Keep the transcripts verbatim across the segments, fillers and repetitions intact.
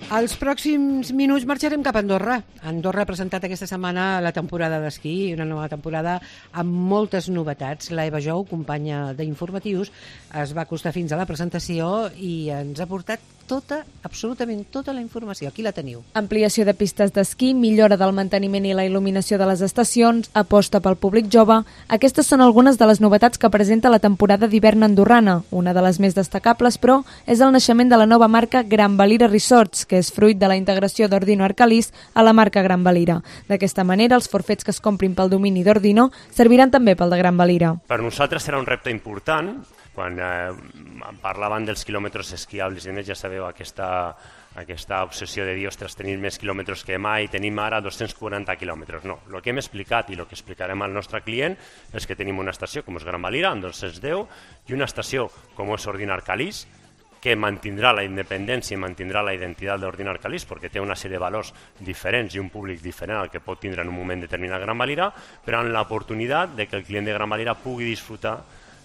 Als pròxims minuts marxarem cap a Andorra. Andorra ha presentat aquesta setmana la temporada d'esquí, una nova temporada amb moltes novetats. La Eva Jou, companya d'Informatius, es va acostar fins a la presentació i ens ha portat tota, absolutament tota la informació. Aquí la teniu. Ampliació de pistes d'esquí, millora del manteniment i la il·luminació de les estacions, aposta pel públic jove. Aquestes són algunes de les novetats que presenta la temporada d'hivern andorrana. Una de les més destacables, però, és el naixement de la nova marca Gran Valira Resorts, que és fruit de la integració d'Ordino Arcalís a la marca Gran Valira. D'aquesta manera, els forfets que es comprin pel domini d'Ordino serviran també pel de Gran Valira. Per nosaltres serà un repte important. Quan eh, parlaven dels quilòmetres esquiables i més, ja sabeu aquesta, aquesta obsessió de dir, ostres, tenim més quilòmetres que mai, tenim ara dos-cents quaranta quilòmetres. No, el que hem explicat i el que explicarem al nostre client és que tenim una estació com és Gran Valira, amb dos-cents deu, i una estació com és Ordino Arcalís, que mantindrà la independència i mantindrà la identitat d'Ordino Arcalís perquè té una sèrie de valors diferents i un públic diferent al que pot tindre en un moment determinat Gran Valira, però amb l'oportunitat de que el client de Gran Valira pugui disfrutar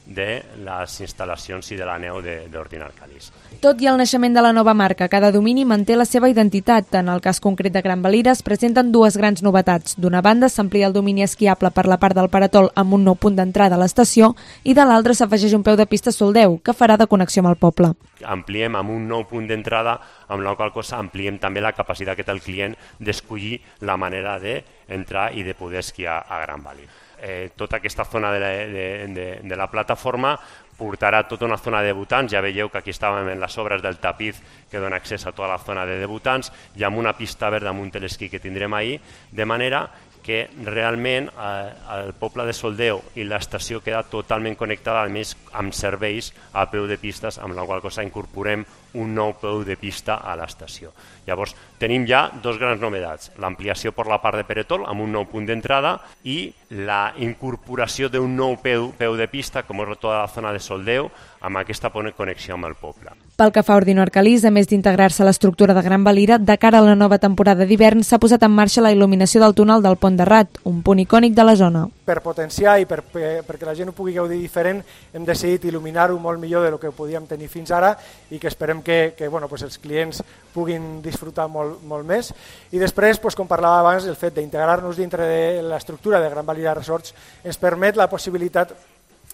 de les instal·lacions i de la neu d'Ordino Arcalís. Tot i el naixement de la nova marca, cada domini manté la seva identitat. En el cas concret de Gran Valira es presenten dues grans novetats. D'una banda, s'amplia el domini esquiable per la part del Paratol amb un nou punt d'entrada a l'estació i de l'altra s'afegeix un peu de pista Soldeu, que farà de connexió amb el poble. Ampliem amb un nou punt d'entrada, amb la qual cosa ampliem també la capacitat que té el client d'escollir la manera d'entrar i de poder esquiar a Gran Valira. Eh, tota aquesta zona de la, de, de, de la plataforma portarà tota una zona de debutants. Ja veieu que aquí estàvem en les obres del tapiz que dona accés a tota la zona de debutants i amb una pista verda damunt l'esquí que tindrem ahir, de manera que realment eh, el poble de Soldeu i l'estació queda totalment connectada, a més amb serveis a peu de pistes, amb la qual cosa incorporem un nou peu de pista a l'estació. Llavors, tenim ja dos grans novetats, l'ampliació per la part de Paratol amb un nou punt d'entrada i la incorporació d'un nou peu, peu de pista, com és tota la zona de Soldeu, amb aquesta connexió amb el poble. Pel que fa a Ordino Arcalís, a més d'integrar-se a l'estructura de Gran Valira, de cara a la nova temporada d'hivern s'ha posat en marxa la il·luminació del túnel del Pont de Rat, un punt icònic de la zona. Per potenciar i per, per, perquè la gent ho pugui gaudir diferent, hem decidit il·luminar-ho molt millor del que podíem tenir fins ara i que esperem que, que bueno, pues els clients puguin disfrutar molt, molt més. I després, pues, com parlava abans, el fet d'integrar-nos dintre de l'estructura de Gran Valira Resorts ens permet la possibilitat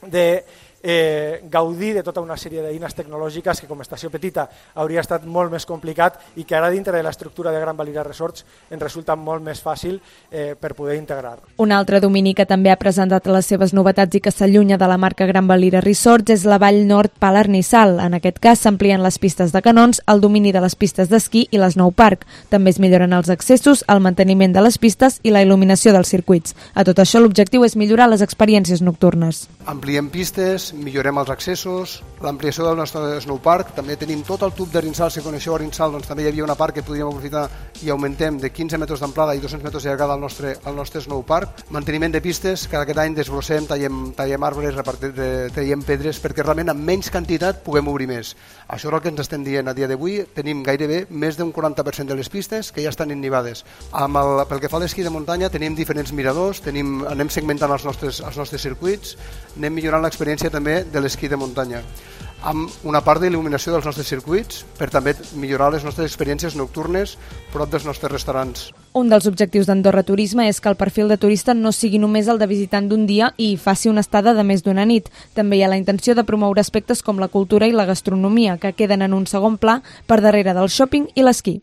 de Eh, gaudir de tota una sèrie d'eines tecnològiques que com a estació petita hauria estat molt més complicat i que ara dintre de l'estructura de Gran Valira Resorts ens resulta molt més fàcil eh, per poder integrar. Un altre domini que també ha presentat les seves novetats i que s'allunya de la marca Gran Valira Resorts és la Vall Nord Palarnissal. En aquest cas s'amplien les pistes de canons, el domini de les pistes d'esquí i l'Snow Park. També es milloren els accessos, el manteniment de les pistes i la il·luminació dels circuits. A tot això l'objectiu és millorar les experiències nocturnes. Ampliem pistes, millorem els accessos, l'ampliació del nostre snowpark, també tenim tot el tub de Rinsal, si coneixeu a Rinsal, doncs també hi havia una part que podríem aprofitar i augmentem de quinze metres d'amplada i dos-cents metres de llargada al nostre, al nostre snowpark. Manteniment de pistes, cada aquest any desbrossem, tallem, tallem arbres, repartim, tallem pedres, perquè realment amb menys quantitat puguem obrir més. Això és el que ens estem dient a dia d'avui, tenim gairebé més d'un quaranta per cent de les pistes que ja estan innivades. Amb el, pel que fa a l'esquí de muntanya tenim diferents miradors, tenim, anem segmentant els nostres, els nostres circuits, anem millorant l'experiència també de l'esquí de muntanya, amb una part d'il·luminació dels nostres circuits per també millorar les nostres experiències nocturnes prop dels nostres restaurants. Un dels objectius d'Andorra Turisme és que el perfil de turista no sigui només el de visitant d'un dia i faci una estada de més d'una nit. També hi ha la intenció de promoure aspectes com la cultura i la gastronomia, que queden en un segon pla per darrere del shopping i l'esquí.